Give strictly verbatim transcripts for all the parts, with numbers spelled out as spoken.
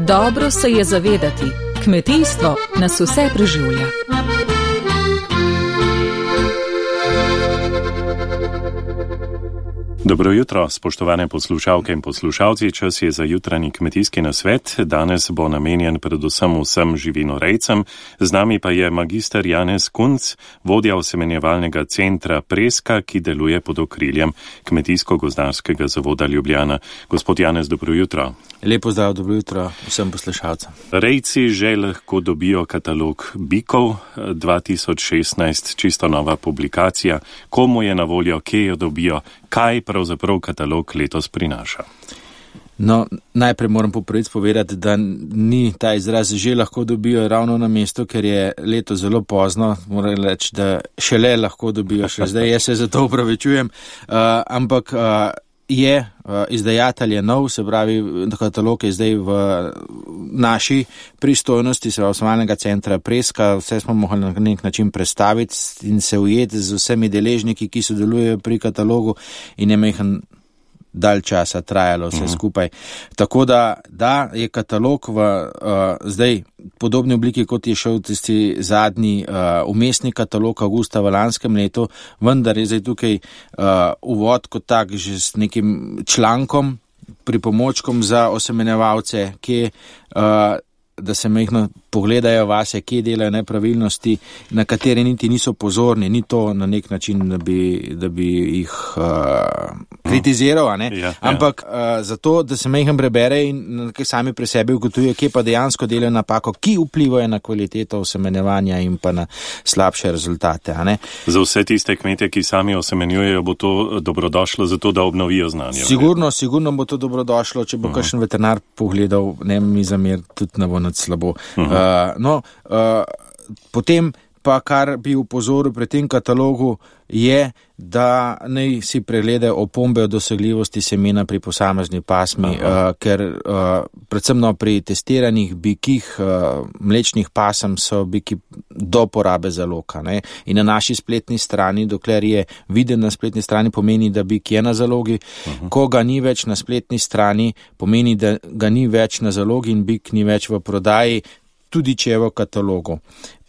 Dobro se je zavedati, kmetijstvo nas vse preživlja. Dobro jutro, spoštovane poslušalke in poslušalci, čas je za jutranji kmetijski nasvet. Danes bo namenjen predvsem vsem živinorejcem. Z nami pa je magister Janez Kunc, vodja osemenjevalnega centra Preska, ki deluje pod okriljem Kmetijsko-gozdarskega zavoda Ljubljana. Gospod Janez, dobro jutro. Lepo zdrav, dobro jutro vsem poslušalcem. Rejci že lahko dobijo katalog bikov dva tisoč šestnajst, čisto nova publikacija. Komu je na voljo, kje jo dobijo, kaj pravzaprav katalog letos prinaša? No, najprej moram po prvič povedati, da ni ta izraz že lahko dobijo ravno na mestu, ker je leto zelo pozno, moram reči, da šele lahko dobijo, še zdaj jaz se za to upravičujem, uh, ampak uh, je, uh, izdajatelj je nov, se pravi, katalog je zdaj v naši pristojnosti, se pravi, osemenjevalnega centra Preska, vse smo mogli na nek način predstaviti in se ujeti z vsemi deležniki, ki sodelujejo pri katalogu in je mehen dalj časa trajalo vse skupaj. Tako da, da je katalog v uh, zdaj podobni obliki, kot je šel tisti zadnji uh, umestni katalog avgusta v lanskem letu, vendar je zdaj tukaj uh, uvod kot tak že s nekim člankom, pripomočkom za osemenjevalce, ki uh, da se mehno pogledajo vase, kje delajo nepravilnosti, na katere niti niso pozorni, ni to na nek način, da bi, da bi jih uh, kritiziral, a ne? Ja, ampak ja. uh, zato, da se mehno prebere in sami pri sebi ugotovijo, kje pa dejansko delajo napako, ki vplivajo na kvaliteto osemenjevanja in pa na slabše rezultate, a ne? Za vse tiste kmete, ki sami osemenjujejo, bo to dobrodošlo zato, da obnovijo znanje. Sigurno, sigurno bo to dobrodošlo, če bo uh-huh. kakšen veterinar pogledal, ne mi zamer, tudi ne bo nad slabo. Uh-huh. Uh, no, uh, potem pa, kar bi upozoril pri tem katalogu, je, da naj si pregledajo opombe o dosegljivosti semena pri posamezni pasmi, uh, ker uh, predvsem no, pri testiranih bikih, uh, mlečnih pasem so biki do porabe zaloga. Ne? In na naši spletni strani, dokler je viden na spletni strani, pomeni, da bik je na zalogi. Uh-huh. Ko ga ni več na spletni strani, pomeni, da ga ni več na zalogi in bik ni več v prodaji, tudi če je v katalogu.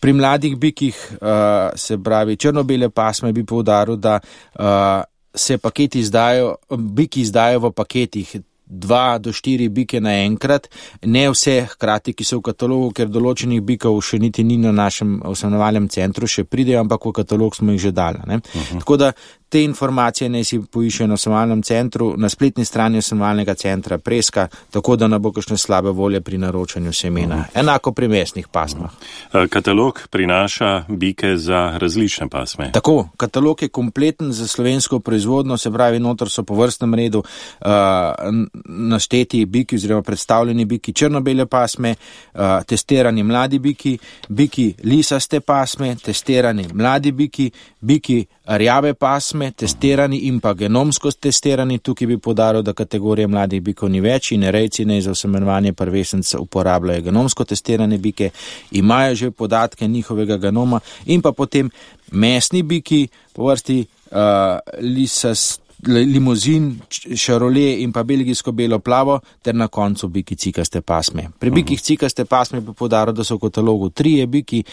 Pri mladih bikih, uh, se pravi črno-bele pasme, bi poudaril, da uh, se paketi izdajo, biki izdajo v paketih, dva do štiri bike naenkrat, ne vse hkrati, ki so v katalogu, ker določenih bikov še niti ni na našem osemenjevalnem centru, še pridejo, ampak v katalog smo jih že dali. Ne? Uh-huh. Tako da te informacije ne si poiščejo na osemenjevalnem centru, na spletni strani osemenjevalnega centra Preska, tako da ne bo kakšne slabe volje pri naročanju semena. Uh-huh. Enako pri mesnih pasmah. Uh-huh. Katalog prinaša bike za različne pasme. Tako, katalog je kompleten za slovensko proizvodno, se pravi, notor so po vrstnem redu uh, našteti biki oziroma predstavljeni biki črno-bele pasme, uh, testirani mladi biki, biki lisaste pasme, testirani mladi biki, biki rjave pasme, testirani in pa genomsko testirani. Tukaj bi podaril, da kategorije mladih bikov ni več in rejci ne za osemenjevanje prvenec uporabljajo genomsko testirane bike, imajo že podatke njihovega genoma in pa potem mesni biki po vrsti uh, lisast limuzin, šarolje in pa belgijsko belo plavo ter na koncu biki cikaste pasme. Pri bikih cikaste pasme bi podaril, da so v katalogu trije biki,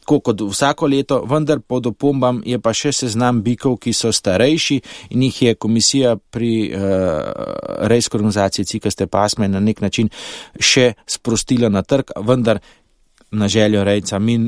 kot vsako leto, vendar pod opombam je pa še seznam bikov, ki so starejši in jih je komisija pri uh, rejski organizaciji cikaste pasme na nek način še sprostila na trg, vendar na željo rejca. Mi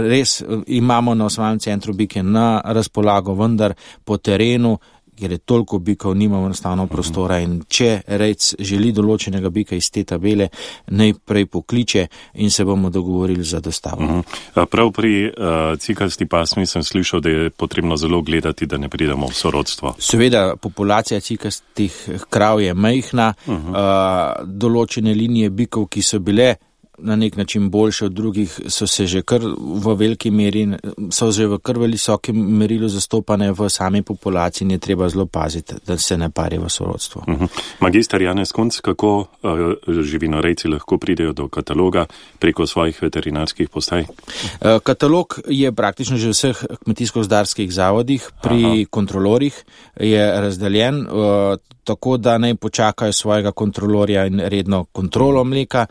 res imamo na osemenjevalnem centru bike na razpolago, vendar po terenu, ker je toliko bikov, nimamo enostavno prostora in če rejc želi določenega bika iz te tabele, najprej pokliče in se bomo dogovorili za dostavo. Uh-huh. Prav pri uh, cikasti pasmi sem slišal, da je potrebno zelo gledati, da ne pridemo v sorodstvo. Seveda, populacija cikastih krav je majhna, uh-huh. uh, določene linije bikov, ki so bile na nek način boljše od drugih, so se že kar v veliki meri, so že v kar visokem merilu zastopane v sami populaciji in je treba zelo paziti, da se ne pari v sorodstvo. Uh-huh. Magister Janez Kunc, kako uh, živinorejci lahko pridejo do kataloga preko svojih veterinarskih postaj? Uh, katalog je praktično že v vseh kmetijsko-gozdarskih zavodih, pri Aha. kontrolorjih je razdeljen, uh, tako da naj počakajo svojega kontrolorja in redno kontrolo mleka.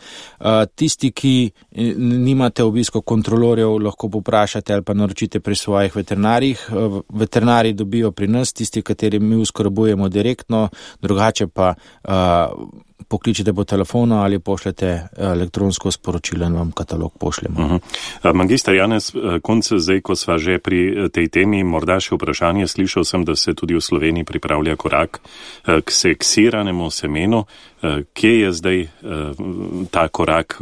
Tisti, ki nimate obisko kontrolorjev, lahko poprašate ali pa naročite pri svojih veterinarjih. Veterinari dobijo pri nas, tisti, kateri mi uskrbujemo direktno, drugače pa pokličete po telefonu ali pošljete elektronsko sporočilo in vam katalog pošljemo. Uh-huh. Magister Janez Kunc, zdaj, ko sva že pri tej temi, morda še vprašanje, slišal sem, da se tudi v Sloveniji pripravlja korak k seksiranemu semenu. Kje je zdaj ta korak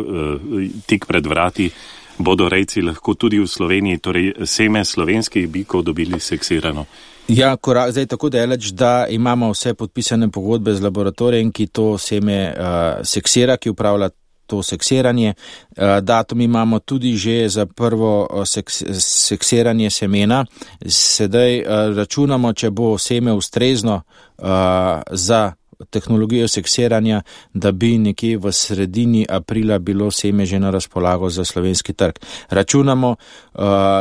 tik pred vrati? Bodo rejci lahko tudi v Sloveniji, torej seme slovenskih bikov dobili seksirano? Ja, korak, zdaj tako daleč, da imamo vse podpisane pogodbe z laboratorijem, ki to seme uh, seksira, ki upravlja to seksiranje. Uh, datum imamo tudi že za prvo uh, seks, seksiranje semena. Sedaj uh, računamo, če bo seme ustrezno uh, za tehnologijo seksiranja, da bi nekje v sredini aprila bilo seme že na razpolago za slovenski trg. Računamo,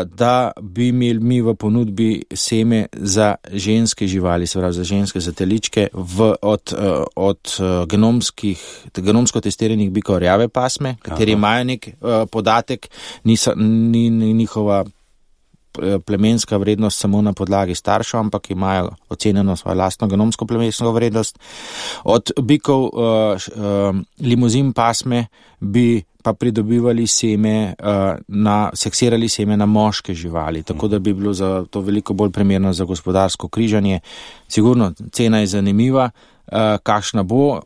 da bi imeli mi v ponudbi seme za ženske živali, se pravi za ženske zateličke v, od, od genomskih, genomsko testiranih bikov rjave pasme, kateri Aha. imajo nek podatek, niso, ni, ni njihova plemenska vrednost samo na podlagi staršev, ampak imajo ocenjeno svojo lastno genomsko plemensko vrednost. Od bikov uh, uh, limuzin pasme bi pa pridobivali seme, uh, na, seksirali seme na moške živali, tako da bi bilo za to veliko bolj primerno za gospodarsko križanje. Sigurno, cena je zanimiva, uh, kakšna bo. Uh,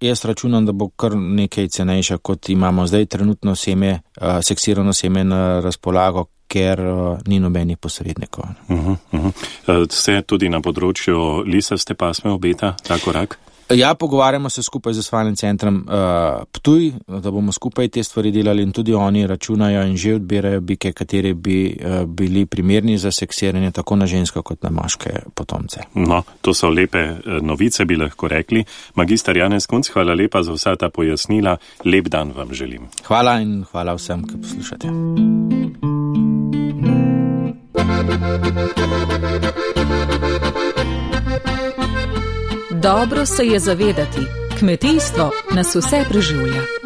jaz računam, da bo kar nekaj cenejša, kot imamo zdaj trenutno seme, uh, seksirano seme na razpolago, ker uh, ni nobenih posrednikov. Uh-huh, uh-huh. Se tudi na področju lisaste pasme obeta ta korak? Ja, pogovarjamo se skupaj z Zasvalnim centrom uh, Ptuj, da bomo skupaj te stvari delali in tudi oni računajo in že odbirajo bike, kateri bi uh, bili primerni za seksiranje tako na ženske kot na moške potomce. No, to so lepe novice, bi lahko rekli. Magister Janez Kunc, hvala lepa za vsa ta pojasnila. Lep dan vam želim. Hvala in hvala vsem, ki poslušate. Dobro se je zavedati, kmetijstvo nas vse preživlja.